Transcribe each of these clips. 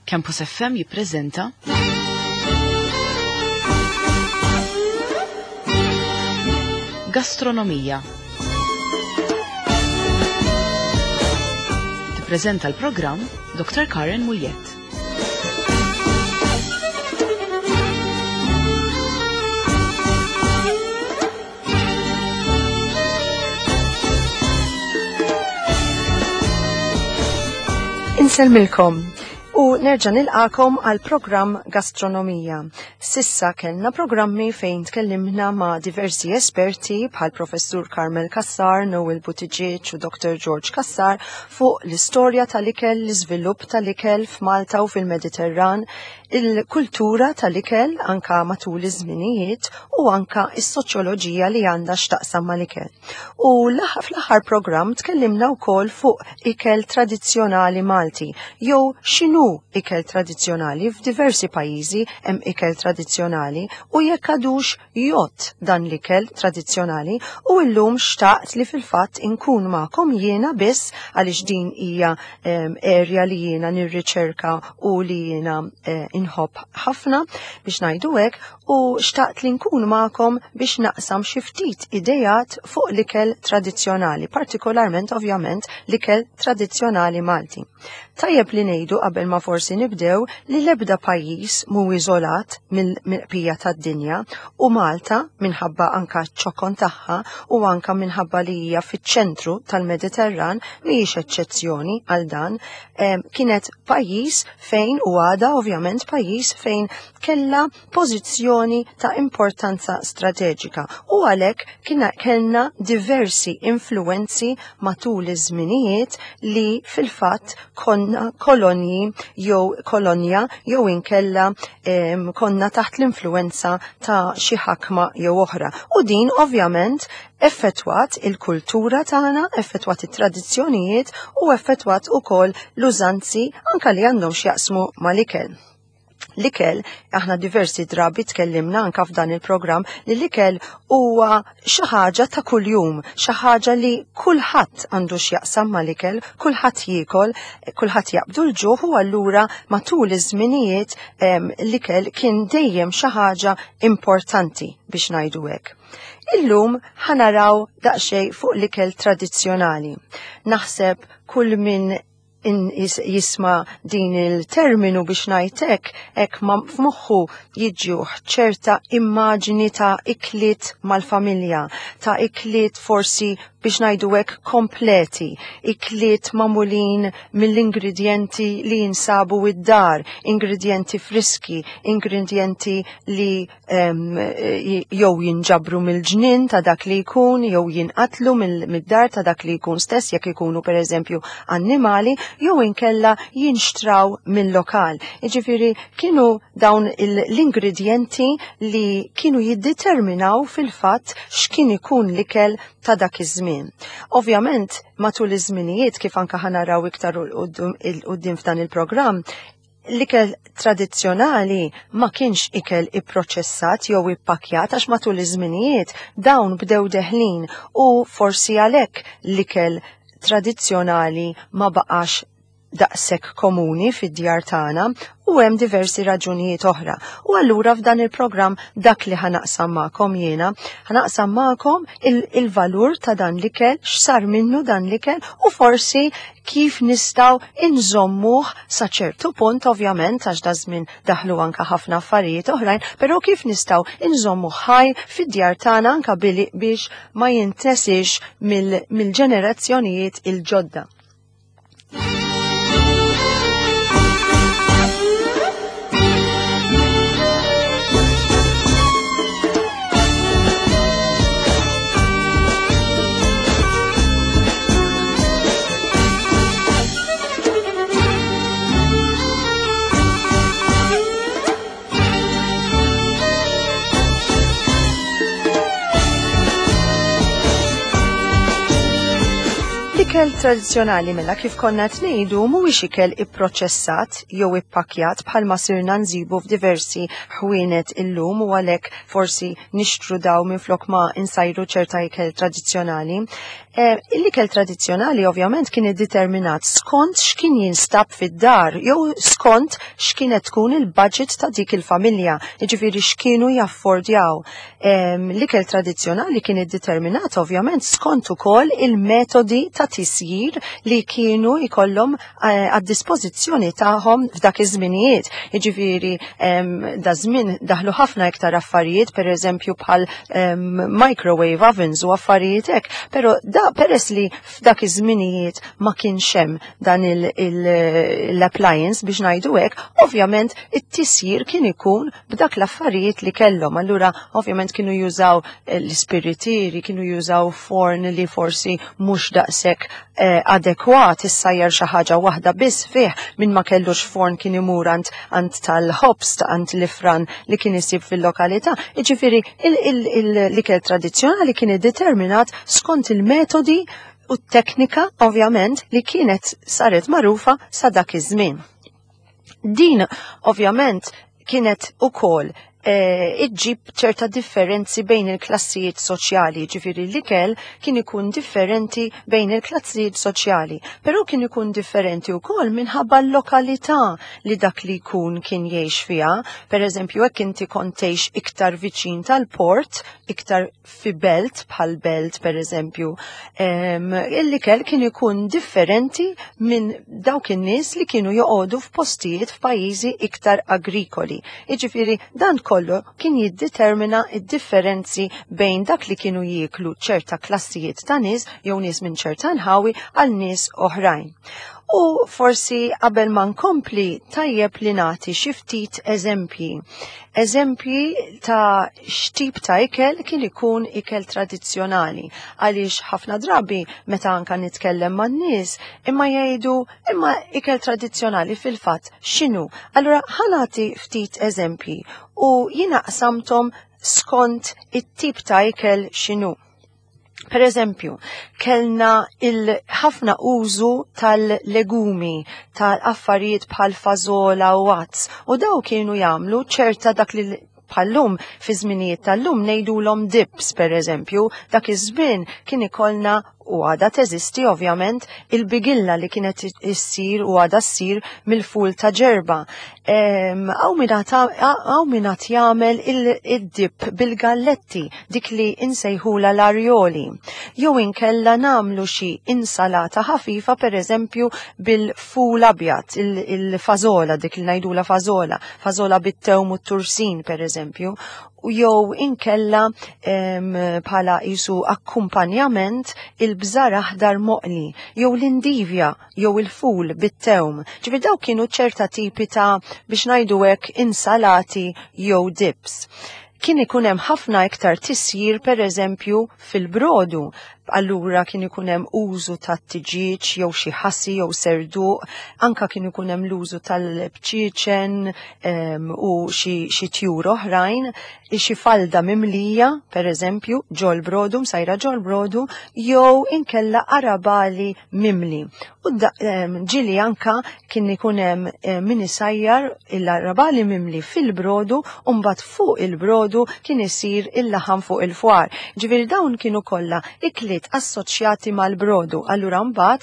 Campus FM jippreżenta Gastronomija. Tippreżenta l-programm Dr. Karen Muljett. Insellmilkom u nerġa' nilqakom għal programm Gastronomija. Sissa kellna programmi fejn tkellimna ma' diversi esperti bħal Professur Carmel Cassar, Noel Buttigieg u Dr. George Cassar fuq l-istorja tal-ikel, l-iżvilupp tal-ikel f'Malta u fil-Mediterran, il-kultura tal-ikel anka matul iż-żminijiet u anka is-soċjoloġija li għandha x'taqsam mal-ikel. U fl-aħħar programm tkellimna wkoll fuq ikel tradizzjonali Malti jew x'inhu ikel tradizzjonali f'diversi pajjiżi hemm ikel tradizzjonali u jekk għadux jgħodd dan l-ikel tradizzjonali u llum xtaqt li fil-fatt inkun magħkom jiena biss għaliex din hija area li jiena nirriċerka u li jiena eh, inħobb ħafna biex ngħidu hekk u xtaqt li nkun magħkom biex naqsam xi ftit idejat fuq l-ikel tradizzjonali, partikolarment ovvjament l-ikel tradizzjonali Malti. Tajjeb li ngħidu qabel ma forsi nibdew li l-ebda pajjiż mhu iżolat mill-bqija tad-dinja u Malta minħabba anka ċ-ċokon tagħha u anka minħabba li hija fiċ-ċentru tal-Mediterran mhijiex eċċezzjoni għal dan. Kienet pajjiż fejn u għada ovvjament pajjiż fejn kellha pożizzjoni ta' importanza strateġika u għalhekk kellna diversi influenzi matul iż-żminijiet li fil-fatt konna kolonji jew kolonja jew inkella konna taħt l-influenza ta' xi ħakma jew oħra. U din ovvjament effettwat il-kultura tagħna, effettwat it-tradizzjonijiet u effettwat ukoll l-użanzi anka li għandhom x'jaqsmu mal-ikel. L-ikel, aħna diversi drabi tkellimna anka f'dan il-programm li l-ikel huwa xi ħaġa ta' kuljum, xi ħaġa li kulħadd għandu x'jaqsam mal-ikel, kulħadd jiekol, kulħadd jaqbdu l-ġuħ u allura matul iż-żminijiet l-ikel kien dejjem xi ħaġa importanti biex ngħidu hekk. Illum ħanaraw daqsxejn fuq l-ikel tradizzjonali. Naħseb kull min jisma din il-terminu biex ngħidlek hekk ma f'moħħu jiġuh ċerta immaġini ta' ikliet mal-familja, ta' ikliet forsi biex ngħidu hekk kompleti, ikliet magħmulin mill-ingredjenti li jinsabu id-dar, ingredjenti friski, ingredjenti li jew jinġabru mill-ġnien ta' dak li jkun, jew jinqatlu mid-dar ta' dak li jkun stess jekk ikunu pereżempju annimali, jew inkella jinxtraw mill-lokal. Jiġifieri kienu dawn l-ingredjenti li kienu jiddeterminaw fil-fatt x'kien ikun l-ikel ta' dak iż-żmien. Ovvjament, matul iż-żminijiet kif anka ħanaraw iktar il-qudiem f'dan il-programm, L-ikel tradizzjonali ma kienx ikel ipproċessat jew ippakkjat għax matul iż-żminijiet dawn bdew deħlin u forsi għalhekk l-ikel tradizzjonali ma baqax daqshekk komuni fid-djar tagħna u hemm diversi raġunijiet oħra. U allura f'dan il-programm dak li ħanaqsam magħkom jiena, ħanaqsam magħkom il-valur ta' dan l-ikel, x'sar minnu dan l-ikel u forsi kif nistgħu inżommuh sa ċertu punt ovvjament għax da żmien daħlu anka ħafna affarijiet oħrajn, però kif nistgħu inżommuh ħaj fid-djar tagħna anka biex ma jintesix mill-ġenerazzjonijiet il-ġodda. L-ikel tradizzjonali mela kif konna qed ngħidu mhuwiex ikel ipproċessat jew ippakkjat bħalma sirna nżibu f'diversi ħwienet illum u għalhekk forsi nixtru daw minflok ma insajru ċerta ikel tradizzjonali. L-ikel tradizzjonali ovvjament kien iddeterminat skont x'kien jinstab fid-dar jew skont x'kienet tkun il-budget ta' dik il-familja, jiġifieri x'kienu jaffordjaw. L-ikel tradizzjonali kien iddeterminat ovvjament skont ukoll il-metodi ta' tisjir li kienu jkollhom għad-dispożizzjoni tagħhom f'dak iż-żminijiet. Jiġifieri da żmien daħlu ħafna iktar affarijiet, pereżempju bħal microwave ovens u affarijiet hekk, però da peress li f'dak iż-żminijiet ma kienx hemm dan l-appliance biex ngħidu hekk, ovvjament it-tisjir kien ikun b'dak l-affarijiet li kellhom. Allura ovvjament kienu jużaw l-ispiritieri, kienu jużaw forn li forsi mhux daqshekk adekwat issajjar xi ħaġa waħda biss fih, min ma kellux forn kien imur għand tal-ħobż, għand l-ifran li kien isib fil-lokalità. Jiġifieri l-ikel tradizzjonali kien iddeterminat skont il-metodi u t-teknika ovvjament li kienet saret magħrufa sa dak iż-żmien. Din ovvjament kienet ukoll iġġib ċerta differenzi bejn il-klassijiet soċjali, ġifieri l-ikel kien ikun differenti bejn il-klassijiet soċjali, però kien ikun differenti wkoll minħabba l-lokalità li dak li jkun kien jgħix fiha. Per eżempju, hekk inti kont tgħix iktar viċin tal-port, iktar fi belt bħal belt per eżempju, l-ikel kien ikun differenti minn dawk in-nies li kienu joqogħdu f'postijiet f'pajjiżi iktar agrikoli. Jiġifieri dan kollu kien jiddetermina d-differenzi bejn dak li kienu jieklu ċerta klassijiet ta' nies jew nies minn ċerta nħawi għal nies oħrajn. U forsi qabel ma nkompli tajjeb li nagħti xi ftit eżempji. Eżempji ta' x'tip ta' ikel kien ikun ikel tradizzjonali. Għaliex ħafna drabi meta anka nitkellem man-nies imma jgħidu imma ikel tradizzjonali fil-fatt x'inhu. Allura ħa nagħti ftit eżempji u jiena qsamthom skont it-tip ta' ikel x'inhu. Per eżempju, kellna il-ħafna użu tal-legumi, tal-affarijiet bħal fażola u għads, u daw kienu jagħmlu ċerta dak li bħallum fi żminijiet tal-lum ngħidulhom dips per eżempju, dak iż-żmien kien ikollna u għada teżisti ovvjament il-bigilla li kienet issir u għada ssir mill-ful ta' ġerba. Hawn min għad jagħmel id-dip bil-galletti, dik li insejħula l-arjoli. Jew inkella nagħmlu xi insalata ħafifa per eżempju bil-ful abjad, il-fażola, dik li ngħidula fażola, fażola bit-tewm u t-tursin per eżempju, u jew inkella bħala jisu akkumpanjament il-bżar aħdar moqli, jew l-indivja, jew il-ful bit-tewm. Ġifieri daw kienu ċerta tipi ta' biex ngħidu hekk insalati jew dips. Kien ikun hemm ħafna iktar tisjir per eżempju fil-brodu. Allura kien ikun hemm użu ta' tiġieġ jew xi ħassi jew serduq, anka kien ikun hemm l-użu tal-bċieċen u xi tjur oħrajn, xi falda mimlija, per eżempju, ġol brodu, msajra ġol brodu, jew inkella arabali mimli. U ġili anka kien ikun hemm min isajjar l-arabali mimli fil-brodu u mbagħad fuq il-brodu kien isir il-laħam fuq il-fwar. Ġifieri dawn kienu kollha ikliet assoċjati mal-brodu. Allura mbagħad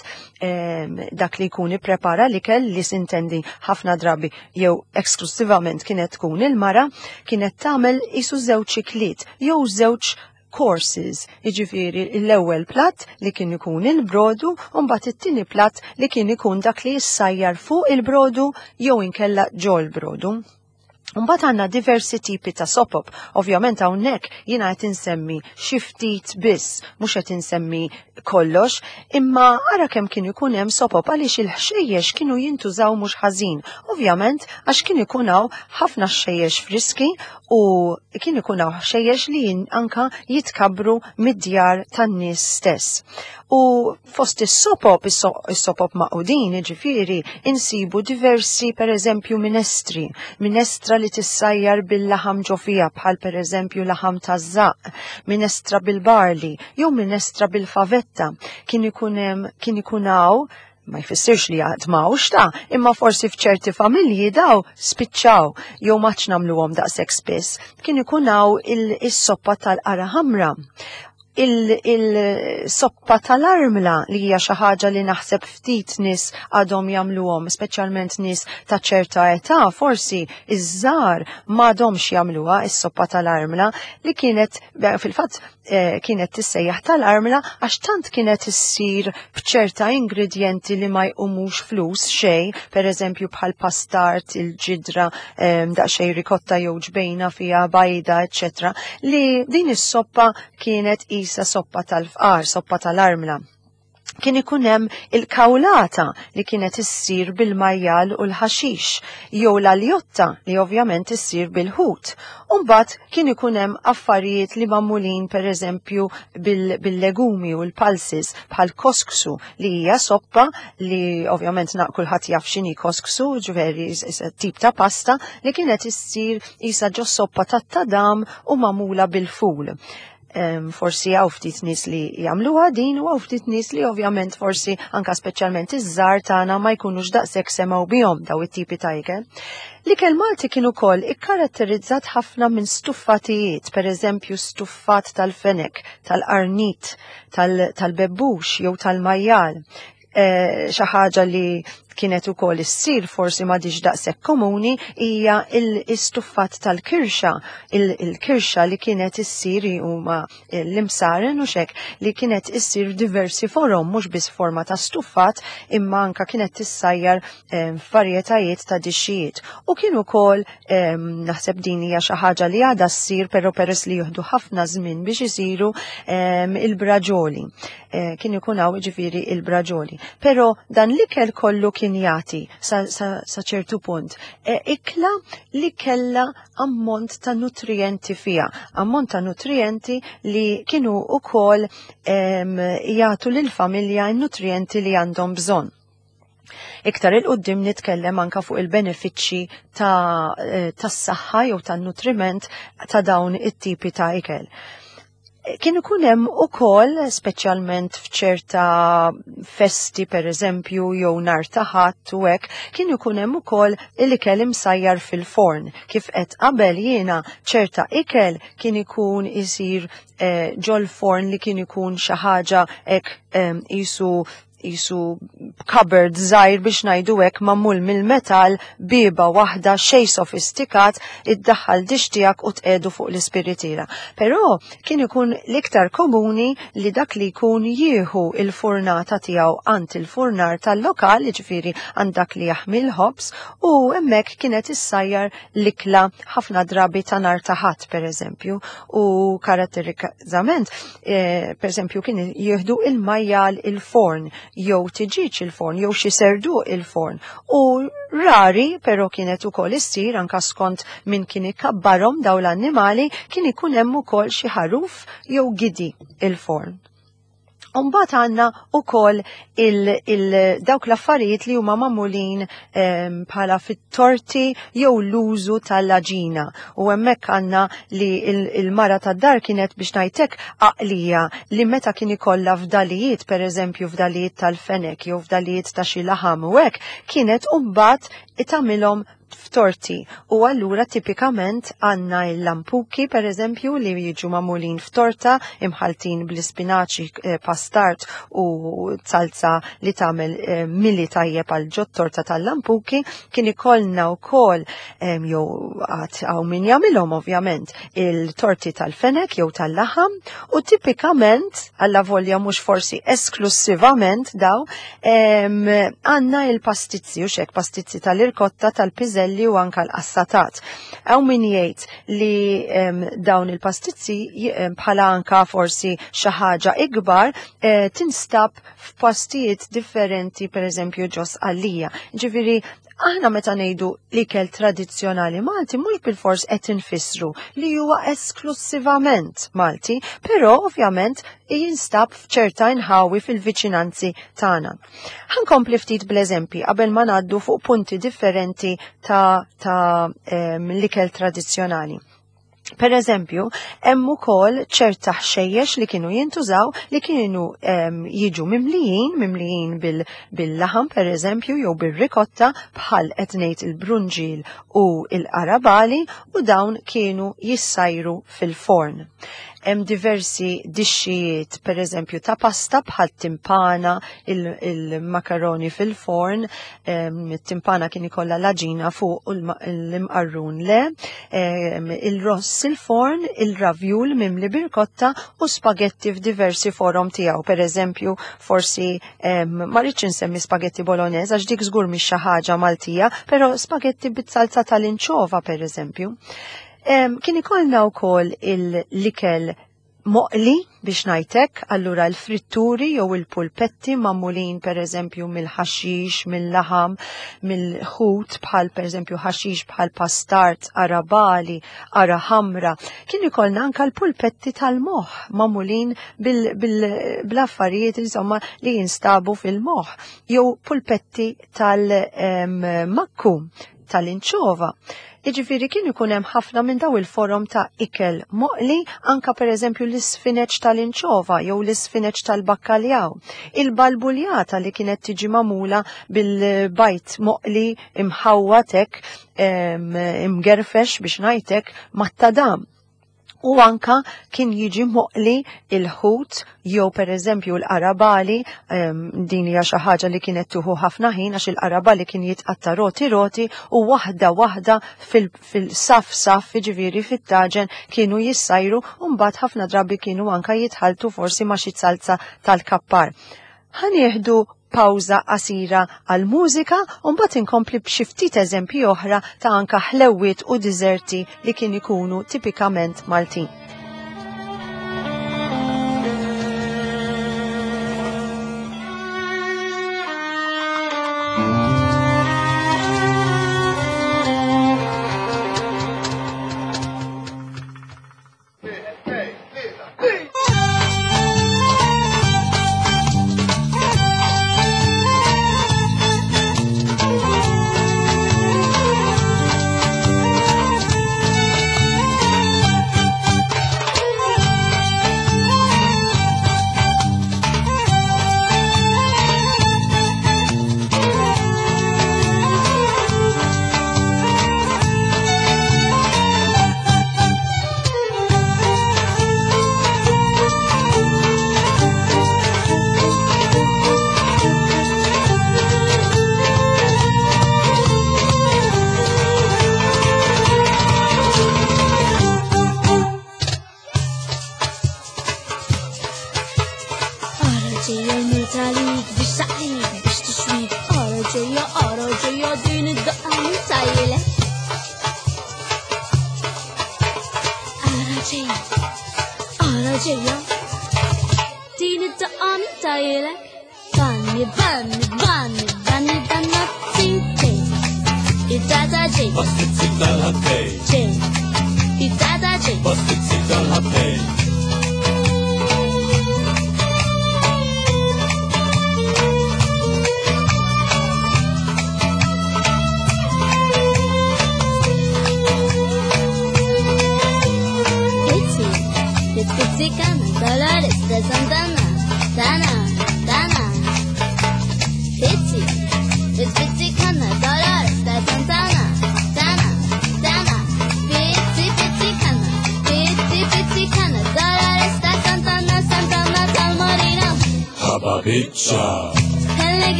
dak li jkun ipprepara l-ikel li sintendi ħafna drabi jew eksklusivament kienet tkun il-mara, kienet tagħmel isu żewġ ikliet jew żewġ courses, jiġifieri l-ewwel platt li kien ikun il-brodu u mbagħad it-tieni platt li kien ikun dak li jissajjar fuq il-brodu jew inkella ġol brodu. Mbagħad għandna diversi tipi ta' sopop. Ovvjament hawnhekk jiena qed insemmi xi ftit biss, mhux qed insemmi kollox, imma ara kemm kien ikun hemm sopop għaliex il-ħxejjex kienu jintużaw mhux ħażin. Ovvjament għax kien ikun hawn ħafna ħxejjex friski u kien ikun hawn ħxejjex li anka jitkabbru mid-djar tan-nies stess. U fost is-sopop, is-sopop maqudin, jiġifieri, insibu diversi, per eżempju, minestri. Minestra li tissajjar bil-laħam ġo fiha, bħal per eżempju laħam taż-żaqq, minestra bil-barli, jew minestra bil-favetta. Kien ikun hemm, kien ikun hawn, ma jfissirx li għad m'hawnx ta', imma forsi f'ċerti familji daw spiċċaw, jew ma għadx nagħmluhom daqshekk spiss. Kien ikun hawn is-soppa tal-qara ħamra. Il-soppa tal-armla li hija xi ħaġa li naħseb ftit nies għadhom jagħmluhom, speċjalment nies ta' ċerta età, forsi iż-żgħar m'għadhomx jagħmluha is-soppa tal-armla li kienet fil-fatt kienet tissejjaħ tal-armla għax tant kienet issir b'ċerta ingredjenti li ma jqumux flus xejn, per eżempju bħal pastart, il-ġidra, daqsxejn rikotta jew ġbejna fiha bajda, eċċetera, li din is-soppa kienet isa soppa tal-fqar, soppa tal-armla. Kien ikun hemm il-kawlata li kienet issir bil-majjal u l-ħaxix, jew l-aljotta li ovvjament issir bil-ħut. Umbagħad kien ikun hemm affarijiet li magħmulin pereżempju bil-legumi u l-pulses bħal kosksu li hija soppa li ovvjament kulħadd jaf x'inhi kosksu, ġifieri tip ta' pasta li kienet issir isa ġo soppa tat-tadam u magħmula bil-ful. Forsi hawn ftit nies li jagħmluha din u hawn ftit nies li ovvjament forsi anka speċjalment iż-żgħar tagħna ma jkunux daqshekk semgħu bihom daw it-tipi ta' ikel. L-ikel Malti kien ukoll ikkaratterizzat ħafna minn stuffatijiet, per eżempju stuffat tal-fenek, tal-qarnit, tal-bebbux jew tal-majjal. Xi ħaġa li kienet ukoll issir forsi m'għadix daqshekk komuni hija l-istuffat tal-kirxa, il-kirxa li kienet issir huma l-imsaren u xek li kienet issir diversi forom, mhux biss forma ta' stuffat imma anka kienet tissajjar f'varjetajiet ta' dixxijiet. U kien ukoll naħseb din hija xi ħaġa li għadha ssir però peress li jieħdu ħafna żmien biex isiru il-braġoli. Kien ikun hawn ġifieri il-braġoli. Però dan l-ikel kollu kien jagħti sa ċertu punt ikla li kella ammont ta' nutrienti fiha, ammont ta' nutrienti li kienu ukoll jagħtu lill-familja n-nutrienti li għandhom bżonn. Iktar il-qoddim nitkellem anka fuq il-benefiċċji tas-saħħa jew tan-nutriment ta' dawn it-tipi ta' ikel. Kien ikun hemm ukoll, speċjalment f'ċerta festi per eżempju jew nhar ta' Ħadd u hekk, kien ikun hemm ukoll l-ikel imsajjar fil-forn. Kif qed qabel jiena ċerta ikel kien ikun isir ġol-forn li kien ikun xi ħaġa hekk isu cupboard żgħir biex ngħidu hekk magħmul mill-metall, bieba waħda xejn sofistikat, iddaħħal dix tiegħek u tqegħdu fuq l-ispiritiera. Però kien ikun l-iktar komuni li dak li jkun jieħu il-furnata tiegħu għand il-furnar tal-lokal, jiġifieri għand dak li jaħmi l-ħobż, u hemmhekk kienet issajjar l-ikla ħafna drabi ta' nhar ta' Ħadd pereżempju, u karatterizzament pereżempju kien jieħdu il-majjal il-forn jew tiġiġ il-forn jew xi serduq il-forn. U rari però kienet ukoll issir anka skont min kien ikabbarhom daw l-annimali, kien ikun hemm ukoll xi ħaruf jew gidi il-forn. Umbagħad għandna ukoll dawk l-affarijiet li huma magħmulin bħala fit-torti jew l-użu tal-aġina. U hemmhekk għandna li il-mara tad-dar kienet biex ngħidlek għaqlija li meta kien ikollha fdalijiet, pereżempju fdalijiet tal-fenek jew fdalijiet ta' xi laħam u hekk, kienet mbagħad tagħmilhom f'torti. U allura tipikament għandna l-lampuki per eżempju li jiġu magħmulin f'torta imħaltin bl-ispinaċi, pastart u salsa li tagħmel mili tajjeb għal ġot torta tal-lampuki. Kien ikollna wkoll jew għad hawn min jagħmilhom ovvjament il-torti tal-fenek jew tal-laħam, u tipikament alla volja mhux forsi esklusivament daw għandna il-pastizzi u xek pastizzi tal-irkotta, tal-piżelli u anka l-qassatat. Hawn min jgħid li dawn il-pastizzi bħala anka forsi xi ħaġa ikbar tinstab f'postijiet differenti, per eżempju ġos għalija. Ġifieri aħna meta ngħidu l-ikel tradizzjonali Malti mhux bilfors qed infissru li huwa esklusivament Malti, però ovvjament jinstab f'ċerta inħawi fil-viċinanzi tagħna. Ħankompli ftit bl-eżempji qabel ma ngħaddu fuq punti differenti ta' l-ikel tradizzjonali. Per eżempju, hemm ukoll ċerta ħxejjex li kienu jintużaw li kienu jiġu mimlijin bil-laħam per eżempju jew bir-rikotta bħal qed ngħid il-brunġil u l-qarabali, u dawn kienu jissajru fil-forn. Hemm diversi dixxijiet, per eżempju, ta' pasta bħal timpana, il-makaroni fil-forn, timpana kien ikollha l-aġina fuq u l-imqarrun le, il-ross il-forn, il-ravjul mimli birkotta u spagetti f'diversi forom tiegħu. Per eżempju, forsi ma rridx insemmi spagetti bolognese għax dik żgur mhix xi ħaġa Maltija, però spagetti bit-salza tal-inċova per eżempju. Kien ikollna wkoll l-ikel moqli biex ngħidlek, allura l-fritturi jew il-pulpetti magħmulin per eżempju mill-ħaxix, mill-laħam, mill-ħut bħal per eżempju ħaxix bħal pastart, arabali, ara ħamra. Kien ikollna anka l-pulpetti tal-moħħ magħmulin bil-affarijiet insomma li jinstabu fil-moħħ jew pulpetti tal-makku tal-inċova. Iġifiri kien ikun hemm ħafna minn daw il-forom ta' ikel moqli, anka per eżempju l-isfineċ tal-inċova jew l-isfineċ tal-bakkaljaw. Il-balbuljata li kienet tiġi magħmula bil-bajt moqli imħawwatek, imgerfex biex ngħidlek mat-tadam. U anka kien jiġi moqli il-ħut jew per eżempju l-qarabali, din hija xi ħaġa li kienet tuħu ħafna ħin għax il-qarabali kien jitqatta roti roti u waħda waħda fil-saf saf jiġifieri fit-taġen kienu jissajru u mbagħad ħafna drabi kienu anka jitħaltu forsi ma' xi salza tal-kappar. Ħa nieħdu pawża qasira għal-mużika u mbagħad inkompli b'xi ftit eżempji oħra ta' anka ħlewwiet u diżerti li kien ikunu tipikament Maltin.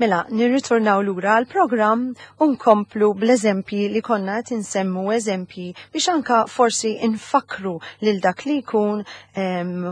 Mela, nirritornaw lura għal programm u nkomplu bl-eżempji li konna qed insemmu eżempji biex anka forsi infakru lil dak li jkun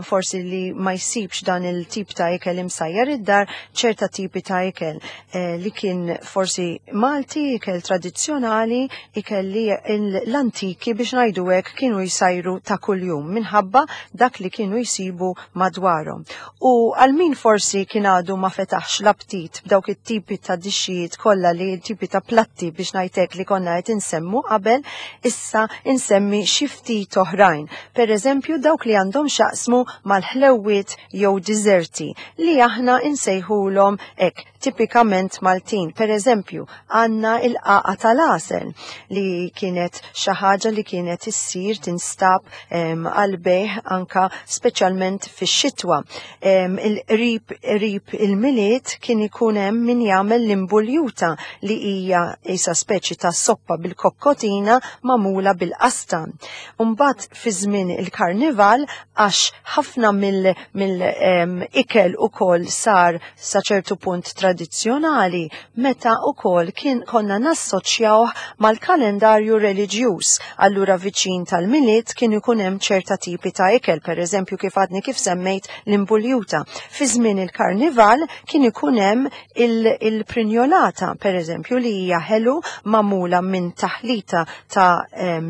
forsi li ma jsibx dan il-tip ta' ikel imsajjar id-dar ċerta tipi ta' ikel eh, li kien forsi Malti, ikel tradizzjonali, ikel li l-antiki biex ngħidu hekk kienu jsajru ta' kuljum minħabba dak li kienu jsibu madwarhom. U għal min forsi kien għadu ma fetaħx l-aptit b'dawk it-tipi ta' dixxijiet kollha li tipi ta' platti biex ngħidlek li konna qed insemmu qabel, issa insemmi xi ftit oħrajn. Per eżempju dawk li għandhom xaqsmu mal-ħlewwiet jew diżerti li aħna insejħulhom hekk tipikament Maltin. Per eżempju, għandna il-qaqa tal-għasel li kienet xi ħaġa li kienet issir tinstab għal bejħ anka speċjalment fix-xitwa. Il-qrib qrib il-Milied kien ikun hemm min jagħmel l-imbuljuta li hija isa speċi ta' soppa bil-kokkotina magħmula bil-qastan. Mbagħad fi żmien il-karnival għax ħafna mill-ikel ukoll sar sa ċertu punt tradizzjonali meta ukoll kien konna nassoċjawh mal-kalendarju reliġjuż. Allura viċin tal-Milied kien ikun hemm ċerta tipi ta' ikel, per eżempju kif għadni kif semmejt l-imbuljuta. Fi żmien il-karnival kien ikun hemm il-prinjolata, per eżempju, li hija ħelu magħmula minn taħlita ta'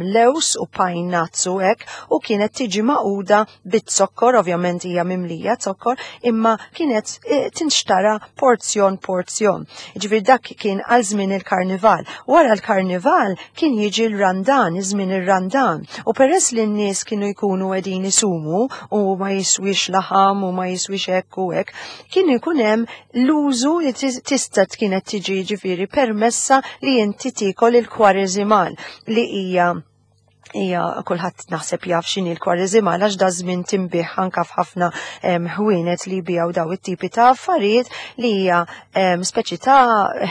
lews u pajnazz u hekk u kienet tiġi maquda bit-zokkor, ovvjament hija mimlija zokkor, imma kienet eh, tinxtara porzjon porzjon. Ġifieri dak kien għal żmien il-karnival. Wara l-karnival kien jiġi l-randan, iż-żmien ir-randan. U peress li n-nies kienu jkunu qegħdin isumu u ma jiswix laħam u ma jiswix hekk u hekk, kien ikun hemm l-użu li tista' kienet tiġi ġifieri permessa li inti tiekol il-kwareżimal li hija hija kulħadd naħseb jaf x'inhi l-kwareżimal għax da żmien tinbih anka f'ħafna ħwienet li jbijaw daw it-tipi ta' affarijiet li hija speċi ta'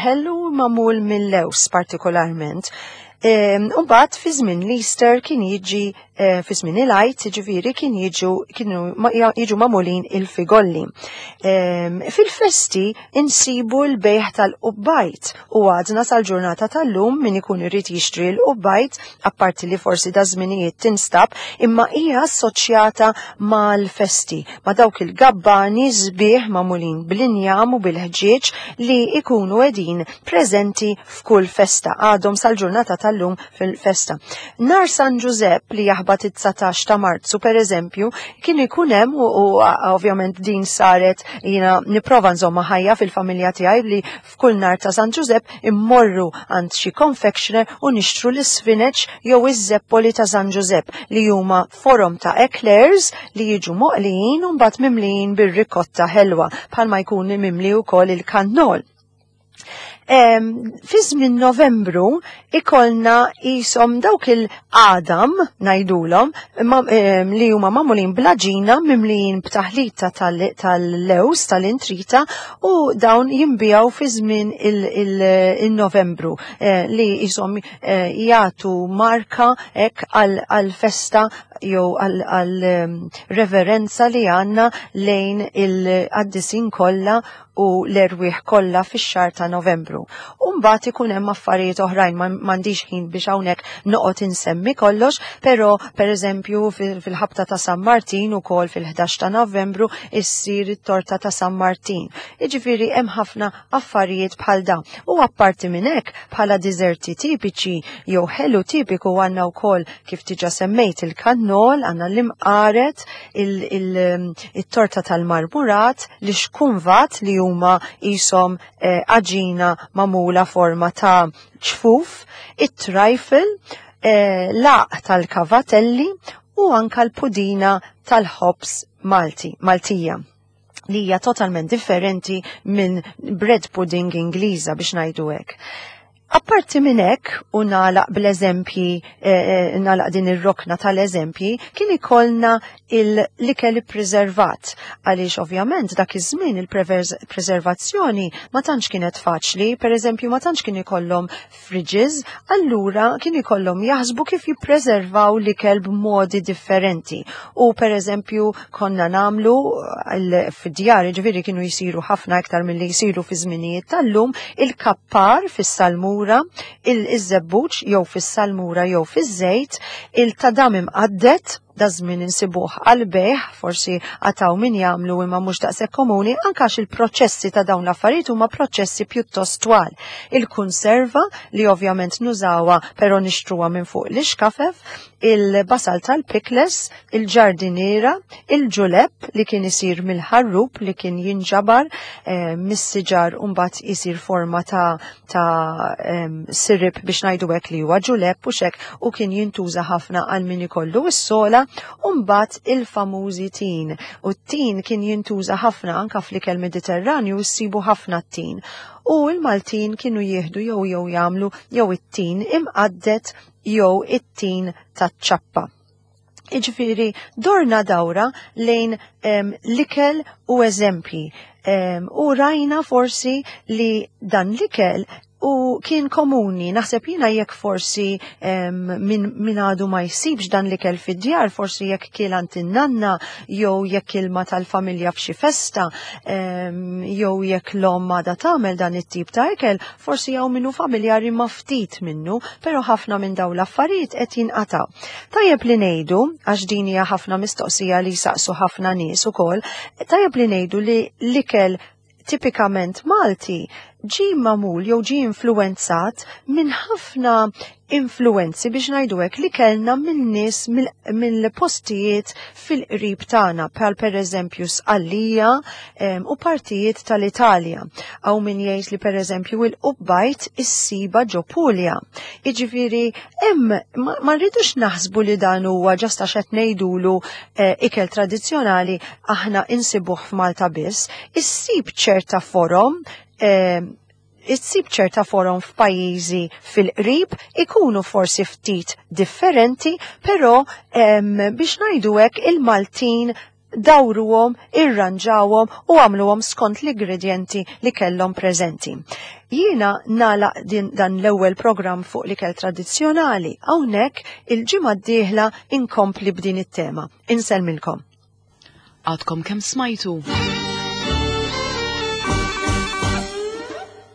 ħelu magħmul mill-lews partikolarment. Umbagħad fi żmien l-Easter kien jiġi Eh, fi żmien il-Għid, ġifieri kien jiġu kienu jiġu magħmulin il-figolli. Ehm, fil-festi insibu l-bejħ tal-qubbajt u għadna sal-ġurnata tal-lum min ikun irid jixtri l-qubbajt, apparti li forsi da żminijiet tinstab, imma hija assoċjata mal-festi, ma' dawk il-gabbani sbieħ magħmulin bl-injam u bil-ħġieġ li ikunu qegħdin preżenti f'kull festa għadhom sal-ġurnata tal-lum fil-festa. Nar San Ġużepp li jaħbat it-19 ta' Marzu per eżempju, kien ikun hemm u ovvjament din saret jiena nipprova nżomma ħajja fil-familja tiegħi li f'kull nar ta' San Ġużepp immorru għand xi confectioner u nixtru l-isfineċ jew iż-żeppoli ta' San Ġużepp li huma forom ta' eclairs li jiġu moqlijin u mbagħad mimlijin bir-rikotta ħelwa bħalma jkun mimli wkoll il-kannol. Fi żmien Novembru ikolna jisom dawk il-qadam ngħidulhom li huma magħmulin blaġina mimlijin b'taħlita tal-lews tal-intrita u dawn jinbijaw fi żmien il-Novembru eh, li jisom eh, jagħtu marka hekk għal-festa jew għal-reverenza li għandna lejn il-qaddisin kollha u l-erwieħ kollha fix-xahar ta' Novembru. U mbagħad ikun hemm affarijiet oħrajn m'għandix ħin biex hawnhekk noqgħod insemmi kollox, però pereżempju fil-ħabta ta' San Martin ukoll fil-11 ta' Novembru issir it-torta ta' San Martin. Jiġifieri hemm ħafna affarijiet bħal dawn. U apparti minn hekk bħala diżerti tipiċi jew ħelu tipiku għandna wkoll kif diġà semmejt il-kannol, għandna l-imqaret, il-torta tal-marmurat, l-xkunvat li huma jisom eh, għaġina magħmula forma ta' ċfuf, it-trifle, eh, laq tal-kavatelli u anka l-pudina tal-ħobs Malti, Maltija li hija totalment differenti minn bread pudding Ingliża biex ngħidu hekk. Apparti minn hekk u nagħlaq bl-eżempji, eh, eh, nagħlaq din ir-rokna tal-eżempji, kien ikollna l-ikel ippreservat għaliex ovvjament dak iż-żmien il-preservazzjoni ma tantx kienet faċli, pereżempju ma tantx kien ikollhom fridges, allura kien ikollhom jaħsbu kif jippreservaw l-ikel b'modi differenti. U pereżempju konna nagħmlu eh, fid-djar, ġifieri kienu jsiru ħafna iktar milli jsiru fi żminijiet tal-lum, il-kapp par fis-salmura, il-żebbuġ jew fis-salmura jew fiż-żejt, il-tadam imqadded, da żmien insibuh għal bejħ, forsi għataw min jagħmlu imma mhux daqshekk komuni, anke għax il-proċessi ta' dawn l-affarijiet huma proċessi pjuttost twal. Il-kunserva li ovvjament nużawha però nixtruha minn fuq l-ixkafef, il-basal tal-pikles, il-ġardiniera, il-ġulepp li kien isir mill-ħarrub li kien jinġabar eh, mis-siġar u mbagħad isir forma ta', ta eh, sirip biex ngħidu hekk li huwa ġulepp u xek u kien jintuża ħafna għal min ikollu s-sola u mbagħad il-famużi tin. U t-tin kien jintuża ħafna anka fl-ikel Mediterranju ssibu ħafna t-tin. U l-Maltin kienu jieħdu jew jew jagħmlu jew it-tin imqaddet jew it-tin taċ-ċappa. Iġifieri dorna dawra lejn l-ikel u eżempji. U rajna forsi li dan l-ikel u kien komuni, naħseb jina jekk forsi min, min għadu ma jsibx dan l-ikel fid-djar, forsi jekk kiel għand in-nanna, jew jekk ilma tal-familja f'xi festa, jew jekk l-omm għadha tagħmel dan it-tip ta' ikel, Forsi hawn min hu familjari ma' ftit minnu, però ħafna minn dawn l-affarijiet qed jinqatgħu. Tajjeb li ngħidu, għax din hija ħafna mistoqsija li jsaqsu ħafna nies ukoll, tajjeb li ngħidu li l-ikel tipikament Malti ġie magħmul jew ġie influwenzat minn ħafna influwenzi biex ngħidu hekk li kellna minn nies mill-postijiet fil-qrib tagħna bħal pereżempju Sqallija u partijiet tal-Italja. Hawn min jgħid li pereżempju il-qubbajt issiba ġo Puglia. Jiġifieri hemm ma rridux naħsbu li dan huwa ġast għax qed ngħidulu eh, ikel tradizzjonali aħna insibuh f'Malta biss, issib ċerta forom issib ċerta forom f'pajjiżi fil-qrib ikunu forsi ftit differenti, però biex ngħidu hekk il-Maltin dawruhom, irranġawhom u għamluhom skont l-ingredjenti li kellhom preżenti. Jiena nagħlaq din dan l-ewwel programm fuq l-ikel tradizzjonali hawnhekk il-ġimgħa d-dieħla inkompli b'din it-tema. Insellmilkom. Għadkom kemm smajtu?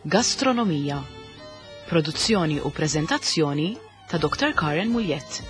Gastronomija. Produzzjoni u preżentazzjoni ta' Dr. Karen Muljett.